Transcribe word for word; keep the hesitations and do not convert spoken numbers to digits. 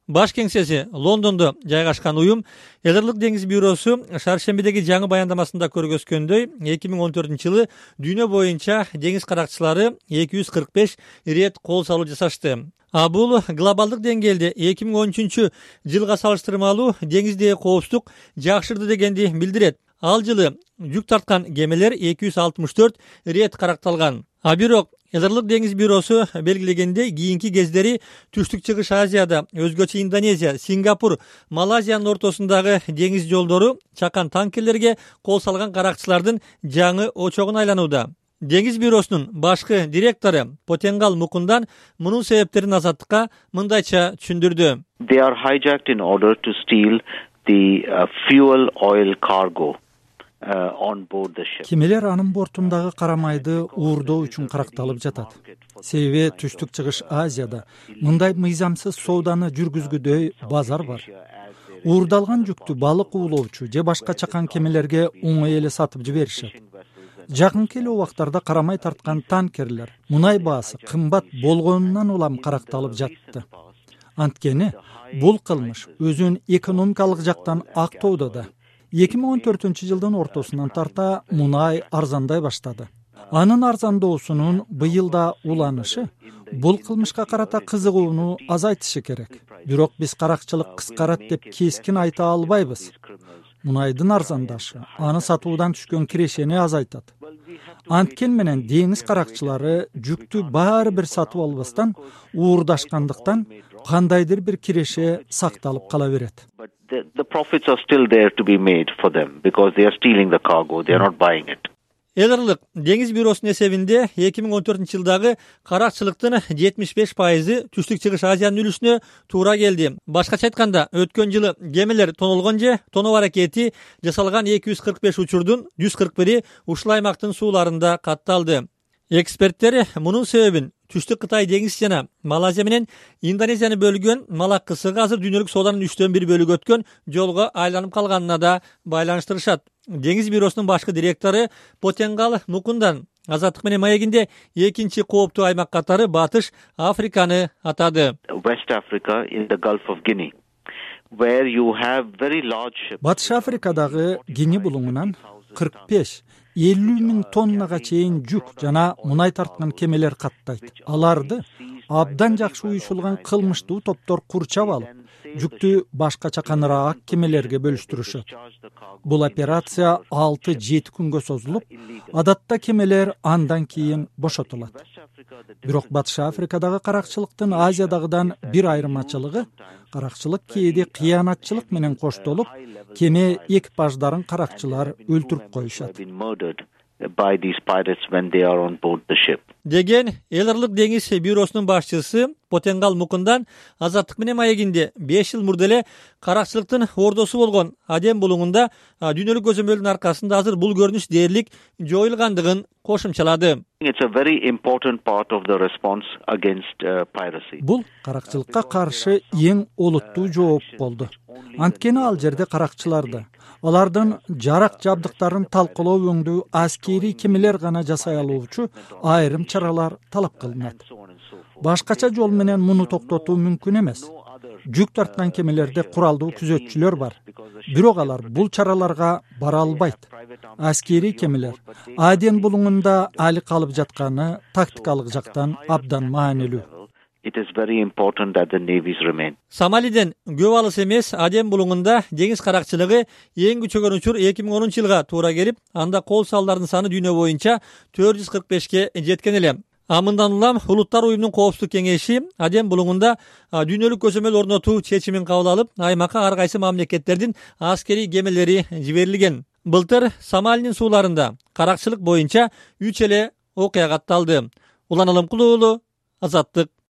Баш кеңсеси Лондондо жайгашкан уюм Эдерлик деңиз бюросу шаршембидеги жаңы баяндамасында көргөзгөндөй, эки миң он төртүнчү жылы дүйнө боюнча деңиз каракчылары эки жүз кырк беш ирет кол салуу жасашты. А бул глобалдык деңгээлде эки миң он үчүнчү жылга салыштырмалуу деңиздеги коопсуздук жакшырды дегенди билдирет. Ал жылы жүк тарткан кемелер эки жүз алтымыш төрт ирет каракталган. А бирок Эдерлик деңиз бюросу белгилегендей, кийинки кездери Түштүк Чыгыш Азияда, өзгөчө Индонезия, Сингапур, Малайзиянын ортосундагы деңиз жолдору чакан танкерлерге кол салган каракчылардын жаңы очогуна айланууда. Деңиз бюросунун башкы директору Потенгал Мукундан мунун себептерин Азаттыкка мындайча түшүндүрдү. They are hijacked in order to steal the uh, fuel oil cargo. Кемелер анын бортундагы карамайды уурдоо үчүн каракталып жатат. Себеби Түштүк Чыгыш Азияда мындай мыйзамсыз сооданы жүргүзгүдөй базар бар. Уурдалган жүктү балык уулоочу же башка чакан кемелерге оңой эле сатып жиберишет. Жакынкы эле убактарда карамай тарткан танкерлер мунай баасы кымбат болгонунан улам каракталып жатты. Анткени бул кылмыш өзүн экономикалык жактан актоодо да. эки миң он төртүнчү жылдын ортосунан тарта мунай арзандай баштады. Анын арзандоосунун быйылда уланышы бул кылмышка карата кызыгууну азайтышы керек. Бирок биз каракчылык кыскарат деп кескин айта албайбыз. Мунайдын арзандашы аны сатуудан түшкөн кирешени азайтат. Анткен менен деңиз каракчылары жүктү баары бир сатып албастан уурдашкандыктан кандайдыр бир киреше сакталып кала берет. The, the profits are still there to be made for them because they are stealing the cargo, they are not buying it. Эдерлик деңиз бюросунун эсебинде эки миң он төртүнчү жылдагы каракчылыктын жетимиш беш пайызы Түштүк Чыгыш Азиянын үлүшүнө туура келди. Башкача айтканда, өткөн жылы кемелер тонолгон же тоноо аракети жасалган эки жүз кырк беш учурдун жүз кырк бири ушул аймактын сууларында катталды. Эксперттер мунун себебин Түштүк Кытай деңиз жана Малайзия менен Индонезияны бөлгөн Малак кысыгы азыр дүйнөлүк сооданын үчтөн бир бөлүгү өткөн жолго айланып калганына да байланыштырышат. Деңиз бюросунун башкы директору Потенгал Мукундан Азаттык менен маегинде экинчи кооптуу аймак катары Батыш Африканы атады. West Africa in the Gulf of Guinea, where you have very large ships. Батыш Африкадагы Гини булуңунан кырк беш элүү миң тоннага чейин жүк жана мунай тарткан кемелер каттайт. Аларды абдан жакшы уюшулган кылмыштуу топтор курчап алып, жүктү башка чаканыраак кемелерге бөлүштүрүшөт. Бул операция алты жети күнгө созулуп, адатта кемелер андан кийин бошотулат. Бирок Батыш Африкадагы каракчылыктын Азиядагыдан бир айырмачылыгы, каракчылык кээде кыянатчылык менен коштолуп, кеме экипаждарын каракчылар өлтүрүп коюшат by these pirates when they are on board the ship. Деген Эдерлик деңиз бюросунун башчысы Потенгал Мукундан Азаттык менен маегинде беш жыл мурда эле каракчылыктын ордосу болгон Адем булуңунда дүйнөлүк көзөмөлдүн аркасында азыр бул көрүнүш дээрлик жоюлгандыгын кошумчалады. It's a very important part of the response against uh, piracy. Бул каракчылыкка каршы эң олуттуу жооп болду. Анткени ал жерде каракчыларды, алардын жарак жабдыктарын талкалоо өңдүү аскери кемелер гана жасай алуучу айрым чаралар талап кылынат. Башкача жол менен муну токтотуу мүмкүн эмес. Жүк тарткан кемелерде куралдуу күзөтчүлөр бар. Бирок алар бул чараларга бара албайт. Аскери кемелер Аден булуңунда али калып жатканы тактикалык жактан абдан маанилүү. It is very important that the navies remain. Сомалиден көп алыс эмес Адем булуңунда деңиз каракчылыгы эң күчөгөн учур эки миң онунчу жылга туура келип, анда кол салдардын саны дүйнө боюнча төрт жүз кырк бешке жеткен эле. А мындан улам Улуттар уюмунун коопсуздук кеңеши Адем булуңунда дүйнөлүк көзөмөл орнотуу чечимин кабыл алып, аймакка ар кайсы мамлекеттердин аскери кемелери жиберилген. Былтыр Сомалинин сууларында каракчылык боюнча үч эле окуя катталды. Улан Алымкулуу, Азаттык.